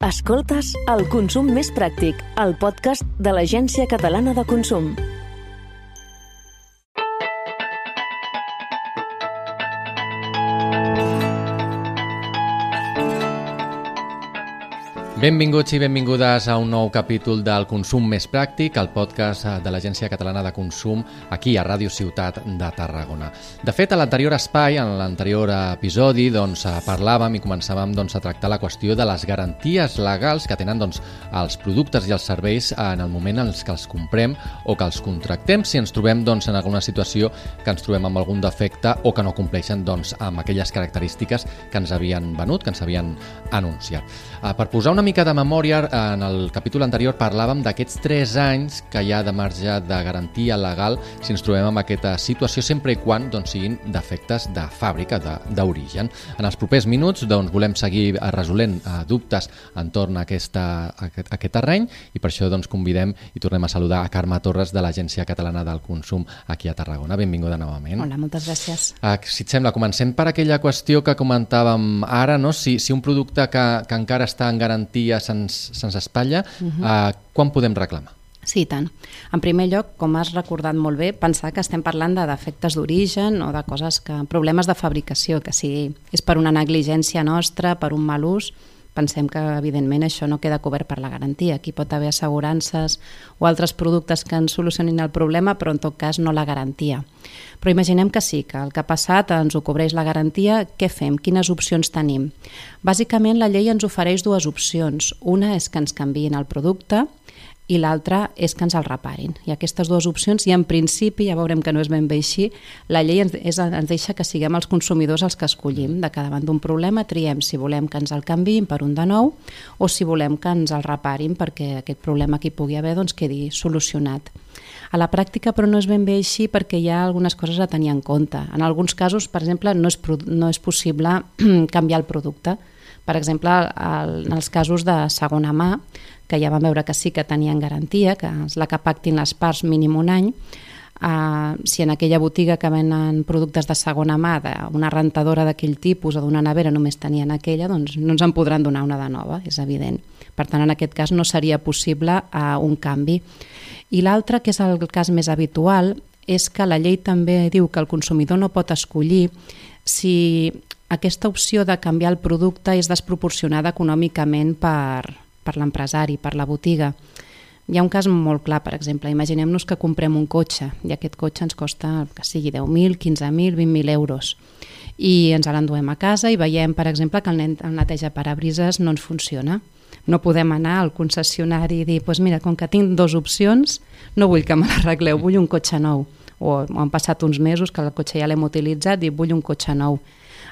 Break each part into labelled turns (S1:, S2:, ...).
S1: Escoltes El Consum Més Pràctic, el podcast de l'Agència Catalana de Consum.
S2: Benvinguts i benvingudes a un nou capítol del Consum Més Pràctic, el podcast de l'Agència Catalana de Consum, aquí a Ràdio Ciutat de Tarragona. De fet, a l'anterior espai, en l'anterior episodi, parlàvem i començàvem a tractar la qüestió de les garanties legals que tenen els productes i els serveis en el moment en què els comprem o que els contractem, si ens trobem en alguna situació que ens trobem amb algun defecte o que no compleixen amb aquelles característiques que ens havien venut, que ens havien anunciat. Per posar una mica de memòria, en el capítol anterior parlàvem d'aquests 3 anys que hi ha de marge de garantia legal si ens trobem amb aquesta situació, sempre i quan siguin defectes de fàbrica, d'origen. En els propers minuts volem seguir resolent dubtes entorn a aquest terreny i per això convidem i tornem a saludar a Carme Torres de l'Agència Catalana del Consum aquí a Tarragona. Benvinguda novament.
S3: Hola, moltes gràcies.
S2: Si et sembla, comencem per aquella qüestió que comentàvem ara, no? Si un producte que encara està en garantia se'ns espatlla, quan podem reclamar?
S3: Sí, i tant. En primer lloc, com has recordat molt bé, pensar que estem parlant de defectes d'origen o de problemes de fabricació, que si és per una negligència nostra, per un mal ús, pensem que, evidentment, això no queda cobert per la garantia. Aquí pot haver assegurances o altres productes que ens solucionin el problema, però en tot cas no la garantia. Però imaginem que sí, que el que ha passat ens ho cobreix la garantia. Què fem? Quines opcions tenim? Bàsicament, la llei ens ofereix 2 opcions. Una és que ens canviïn el producte i l'altra és que ens el reparin. I aquestes 2 opcions, i en principi, ja veurem que no és ben bé així, la llei ens deixa que siguem els consumidors els que escollim. De cada davant d'un problema triem si volem que ens el canviïn per un de nou o si volem que ens el reparin perquè aquest problema que hi pugui haver quedi solucionat. A la pràctica, però, no és ben bé així perquè hi ha algunes coses a tenir en compte. En alguns casos, per exemple, no és possible canviar el producte. Per exemple, en els casos de segona mà, que ja vam veure que sí que tenien garantia, que és la que pactin les parts mínim un any, si en aquella botiga que venen productes de segona mà, d'una rentadora d'aquell tipus o d'una nevera només tenien aquella, no ens en podran donar una de nova, és evident. Per tant, en aquest cas no seria possible un canvi. I l'altre, que és el cas més habitual, és que la llei també diu que el consumidor no pot escollir si aquesta opció de canviar el producte és desproporcionada econòmicament per l'empresari, per la botiga. Hi ha un cas molt clar, per exemple, imaginem-nos que comprem un cotxe i aquest cotxe ens costa que sigui 10.000, 15.000, 20.000 euros i ens l'enduem a casa i veiem, per exemple, que el neteja parabrises no ens funciona. No podem anar al concessionari i dir, mira, com que tinc 2 opcions, no vull que me l'arregleu, vull un cotxe nou. O han passat uns mesos que el cotxe ja l'hem utilitzat i vull un cotxe nou.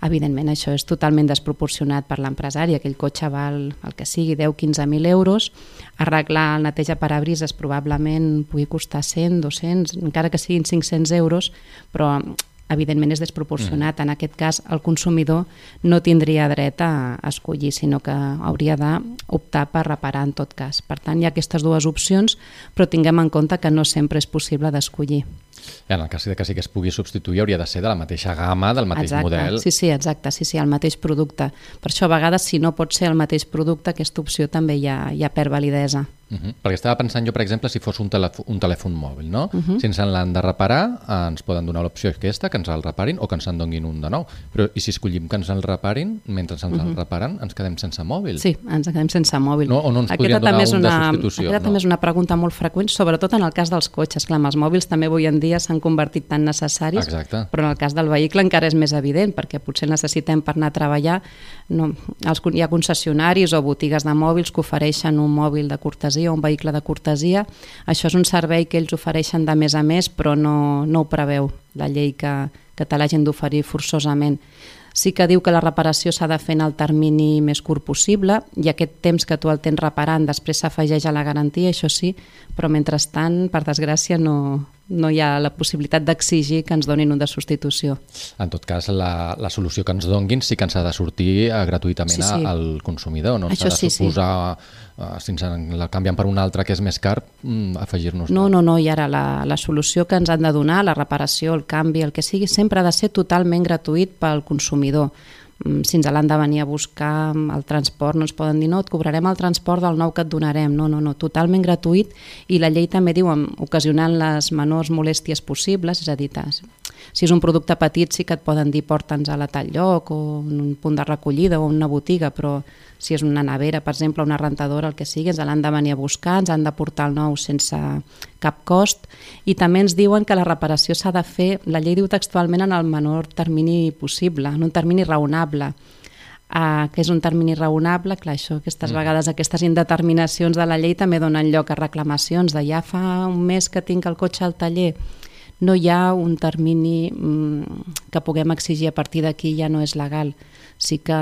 S3: Evidentment, això és totalment desproporcionat per l'empresari. Aquell cotxe val el que sigui, 10-15.000 euros. Arreglar el neteja parabrises probablement pugui costar 100, 200, encara que siguin 500 euros, però evidentment és desproporcionat. En aquest cas, el consumidor no tindria dret a escollir, sinó que hauria d'optar per reparar en tot cas. Per tant, hi ha aquestes 2 opcions, però tinguem en compte que no sempre és possible d'escollir.
S2: En el cas que sí que es pugui substituir hauria de ser de la mateixa gamma, del mateix model.
S3: Sí, exacte, el mateix producte. Per això a vegades si no pot ser el mateix producte, aquesta opció també ja perd validesa.
S2: Perquè estava pensant jo, per exemple, si fos un telèfon mòbil, no? Si ens l'han de reparar, ens poden donar l'opció aquesta, que ens el reparin o que ens en donin un de nou. Però i si escollim que ens el reparin, mentre ens el reparen, ens quedem sense mòbil?
S3: Sí, ens quedem sense mòbil.
S2: O no ens podrien donar un de substitució?
S3: Aquesta també és una pregunta molt freqüent, sobretot en el cas dels cotxes. Clar, els mòbils també avui en dia s'han convertit tan necessaris,
S2: exacte,
S3: però en el cas del vehicle encara és més evident, perquè potser necessitem per anar a treballar. Hi ha concessionaris o botigues de mòbils que ofereixen un mòbil de cortesia o un vehicle de cortesia. Això és un servei que ells ofereixen de més a més, però no ho preveu la llei que te l'hagin d'oferir forçosament. Sí que diu que la reparació s'ha de fer en el termini més curt possible i aquest temps que tu el tens reparant després s'afegeix a la garantia, això sí, però mentrestant, per desgràcia, no hi ha la possibilitat d'exigir que ens donin un de substitució.
S2: En tot cas, la solució que ens donguin sí que ens ha de sortir gratuïtament al consumidor, no s'ha de suposar, si ens la canvien per una altra que és més car, afegir-nos.
S3: No, i ara la solució que ens han de donar, la reparació, el canvi, el que sigui, sempre ha de ser totalment gratuït pel consumidor. Si ens l'han de venir a buscar el transport, no ens poden dir no, et cobrarem el transport del nou que et donarem. No, totalment gratuït, i la llei també diu ocasionant les menors molèsties possibles, és a dir, si és un producte petit sí que et poden dir porta'ns a tal lloc o en un punt de recollida o una botiga, però si és una nevera, per exemple, una rentadora, el que sigui, ens l'han de venir a buscar, ens han de portar el nou sense cap cost, i també ens diuen que la reparació s'ha de fer, la llei diu textualment, en el menor termini possible, en un termini raonable. Que és un termini raonable, clar, això, aquestes vegades aquestes indeterminacions de la llei també donen lloc a reclamacions de ja fa un mes que tinc el cotxe al taller, no hi ha un termini que puguem exigir a partir d'aquí, ja no és legal. Sí que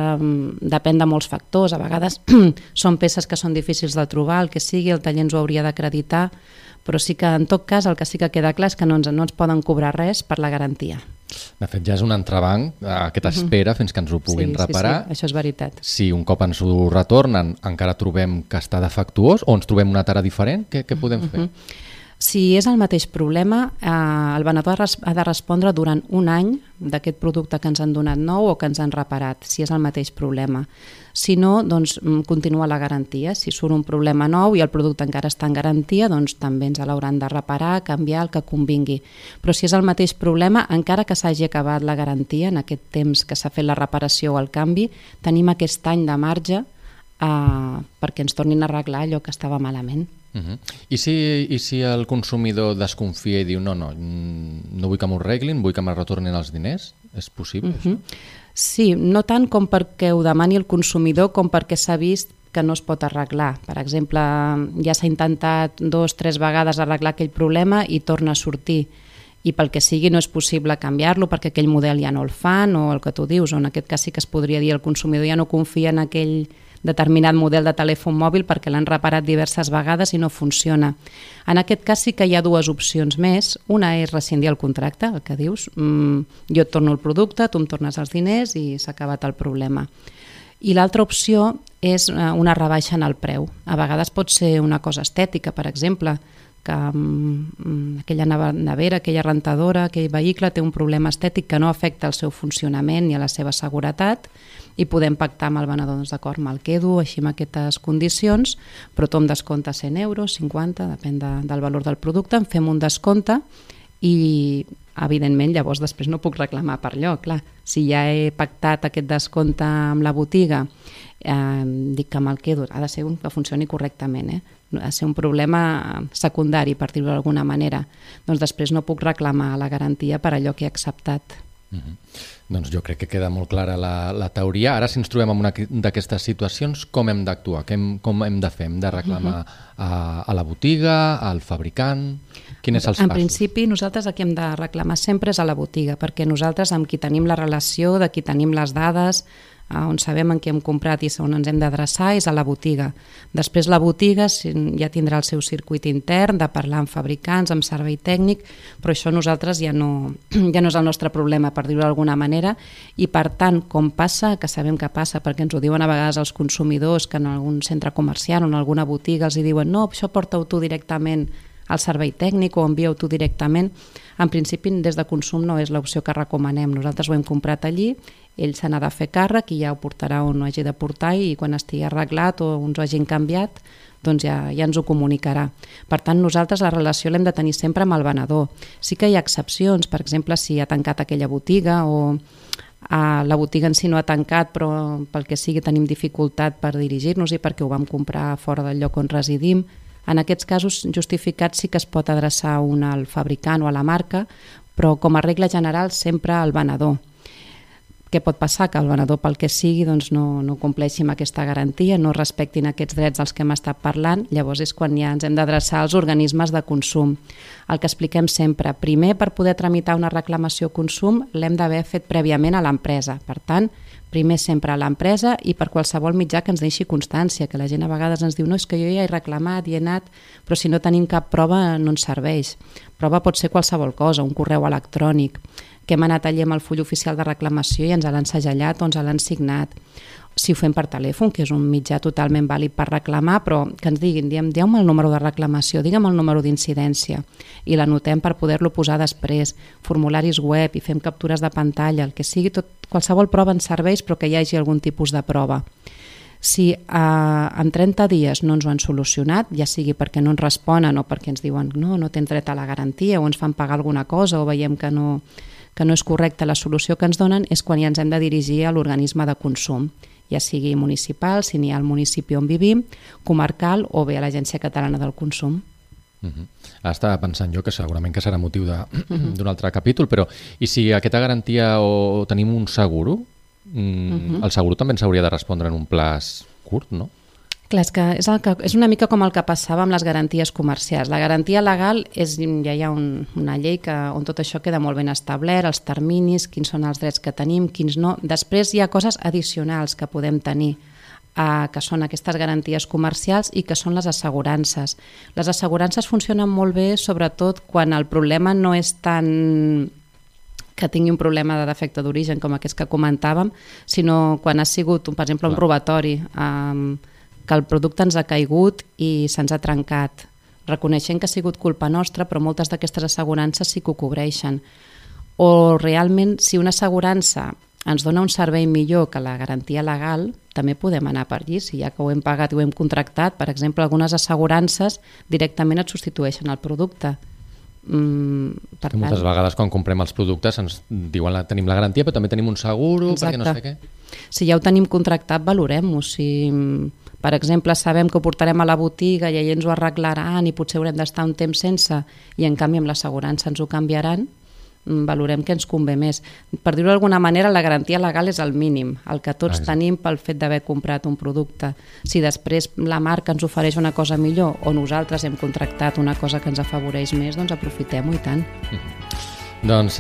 S3: depèn de molts factors, a vegades són peces que són difícils de trobar, el que sigui, el taller ens ho hauria d'acreditar, però sí que en tot cas el que sí que queda clar és que no ens poden cobrar res per la garantia.
S2: De fet, ja és un entrebanc aquesta espera fins que ens ho puguin reparar.
S3: Sí, això és veritat.
S2: Si un cop ens ho retornen encara trobem que està defectuós o ens trobem una tara diferent, què podem fer?
S3: Si és el mateix problema, el venedor ha de respondre durant un any d'aquest producte que ens han donat nou o que ens han reparat, si és el mateix problema. Si no, doncs continua la garantia. Si surt un problema nou i el producte encara està en garantia, doncs també ens l'hauran de reparar, canviar, el que convingui. Però si és el mateix problema, encara que s'hagi acabat la garantia, en aquest temps que s'ha fet la reparació o el canvi, tenim aquest any de marge perquè ens tornin a arreglar allò que estava malament.
S2: I si el consumidor desconfia i diu no vull que m'ho arreglin, vull que me retornin els diners, és possible això?
S3: Sí, no tant com perquè ho demani el consumidor com perquè s'ha vist que no es pot arreglar. Per exemple, ja s'ha intentat 2 o 3 vegades arreglar aquell problema i torna a sortir, i pel que sigui no és possible canviar-lo perquè aquell model ja no el fan, o el que tu dius, o en aquest cas sí que es podria dir el consumidor ja no confia en aquell determinat model de telèfon mòbil perquè l'han reparat diverses vegades i no funciona. En aquest cas sí que hi ha 2 opcions més. Una és rescindir el contracte, el que dius, jo et torno el producte, tu em tornes els diners i s'ha acabat el problema. I l'altra opció és una rebaixa en el preu. A vegades pot ser una cosa estètica, per exemple, que aquella nevera, aquella rentadora, aquell vehicle té un problema estètic que no afecta el seu funcionament ni a la seva seguretat, i podem pactar amb el venedor, doncs d'acord, me'l quedo així amb aquestes condicions, però tu em descomptes 100 euros, 50, depèn del valor del producte, em fem un descompte i evidentment llavors després no puc reclamar per allò, clar. Si ja he pactat aquest descompte amb la botiga, dic que me'l quedo, ha de ser que funcioni correctament, ha de ser un problema secundari, per dir-ho d'alguna manera, doncs després no puc reclamar la garantia per allò que he acceptat.
S2: Doncs jo crec que queda molt clara la teoria. Ara, si ens trobem en una d'aquestes situacions, com hem d'actuar? Com hem de fer? Hem de reclamar a la botiga, al fabricant? Quins són els passos?
S3: En principi, nosaltres el que hem de reclamar sempre és a la botiga, perquè nosaltres amb qui tenim la relació, de qui tenim les dades, on sabem en què hem comprat i on ens hem d'adreçar és a la botiga. Després la botiga ja tindrà el seu circuit intern de parlar amb fabricants, amb servei tècnic, però això nosaltres ja no és el nostre problema, per dir-ho d'alguna manera, i per tant, com passa, que sabem que passa, perquè ens ho diuen a vegades els consumidors, que en algun centre comercial o en alguna botiga els diuen no, això porta-ho tu directament al servei tècnic o envia-ho tu directament. En principi, des de consum no és l'opció que recomanem. Nosaltres ho hem comprat allí, ell se n'ha de fer càrrec i ja ho portarà on ho hagi de portar i quan estigui arreglat o ens ho hagin canviat, doncs ja ens ho comunicarà. Per tant, nosaltres la relació l'hem de tenir sempre amb el venedor. Sí que hi ha excepcions, per exemple, si ha tancat aquella botiga o la botiga en si no ha tancat, però pel que sigui tenim dificultat per dirigir-nos-hi perquè ho vam comprar fora del lloc on residim. En aquests casos justificats sí que es pot adreçar un al fabricant o a la marca, però com a regla general sempre al venedor. Què pot passar? Que el venedor pel que sigui doncs no compleixi amb aquesta garantia, no respectin aquests drets dels que hem estat parlant, llavors és quan ja ens hem d'adreçar als organismes de consum. El que expliquem sempre, primer per poder tramitar una reclamació consum l'hem d'haver fet prèviament a l'empresa, per tant, primer sempre a l'empresa i per qualsevol mitjà que ens deixi constància, que la gent a vegades ens diu no, és que jo ja he reclamat i he anat, però si no tenim cap prova no ens serveix. Prova pot ser qualsevol cosa, un correu electrònic, que hem anat allà amb el full oficial de reclamació i ens l'han segellat o ens l'han signat, si ho fem per telèfon, que és un mitjà totalment vàlid per reclamar, però que ens diguin, dieu-me el número de reclamació, digue'm el número d'incidència, i l'anotem per poder-lo posar després, formularis web, i fem captures de pantalla, el que sigui, qualsevol prova ens serveix, però que hi hagi algun tipus de prova. Si en 30 dies no ens ho han solucionat, ja sigui perquè no ens responen o perquè ens diuen no tens dret a la garantia o ens fan pagar alguna cosa o veiem que no és correcta la solució que ens donen, és quan ja ens hem de dirigir a l'organisme de consum, ja sigui municipal, si n'hi ha al municipi on vivim, comarcal o bé a l'Agència Catalana del Consum.
S2: Estava pensant jo que segurament que serà motiu d'un altre capítol, però i si aquesta garantia o tenim un seguro, el seguro també ens hauria de respondre en un plaç curt, no?
S3: Clar, és una mica com el que passava amb les garanties comercials. La garantia legal ja hi ha una llei on tot això queda molt ben establert, els terminis, quins són els drets que tenim, quins no. Després hi ha coses addicionals que podem tenir, que són aquestes garanties comercials i que són les assegurances. Les assegurances funcionen molt bé, sobretot quan el problema no és tant que tingui un problema de defecte d'origen com aquest que comentàvem, sinó quan ha sigut, per exemple, un robatori, que el producte ens ha caigut i se'ns ha trencat. Reconeixent que ha sigut culpa nostra, però moltes d'aquestes assegurances sí que ho cobreixen. O realment, si una assegurança ens dona un servei millor que la garantia legal, també podem anar per allí. Si ja que ho hem pagat i ho hem contractat, per exemple, algunes assegurances directament et substitueixen el producte.
S2: Moltes vegades quan comprem els productes ens diuen tenim la garantia però també tenim un seguro. Perquè no sé què.
S3: Si ja ho tenim contractat, valorem-ho. Si per exemple sabem que ho portarem a la botiga i ens ho arreglaran i potser haurem d'estar un temps sense i en canvi amb l'assegurança ens ho canviaran, valorem que ens convé més. Per dir-ho d'alguna manera, la garantia legal és el mínim, el que tots tenim pel fet d'haver comprat un producte. Si després la marca ens ofereix una cosa millor o nosaltres hem contractat una cosa que ens afavoreix més, doncs aprofitem-ho i tant.
S2: Doncs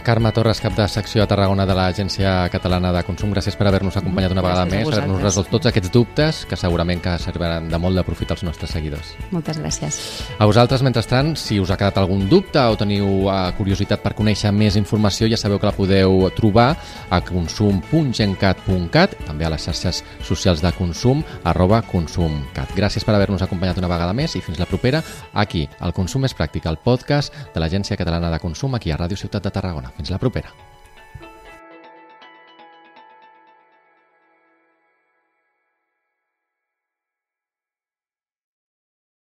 S2: Carme Torres, cap de secció a Tarragona de l'Agència Catalana de Consum, gràcies per haver-nos acompanyat una vegada més, per haver-nos resolt tots aquests dubtes que segurament que serviran de molt de profit als nostres seguidors.
S3: Moltes gràcies.
S2: A vosaltres, mentrestant, si us ha quedat algun dubte o teniu curiositat per conèixer més informació, ja sabeu que la podeu trobar a consum.gencat.cat, també a les xarxes socials de consum, @consumcat. Gràcies per haver-nos acompanyat una vegada més i fins la propera, aquí, al Consum és Pràctic, el podcast de l'Agència Catalana de Consum, aquí a Ràdio Ciutat de Tarragona. Fins la propera.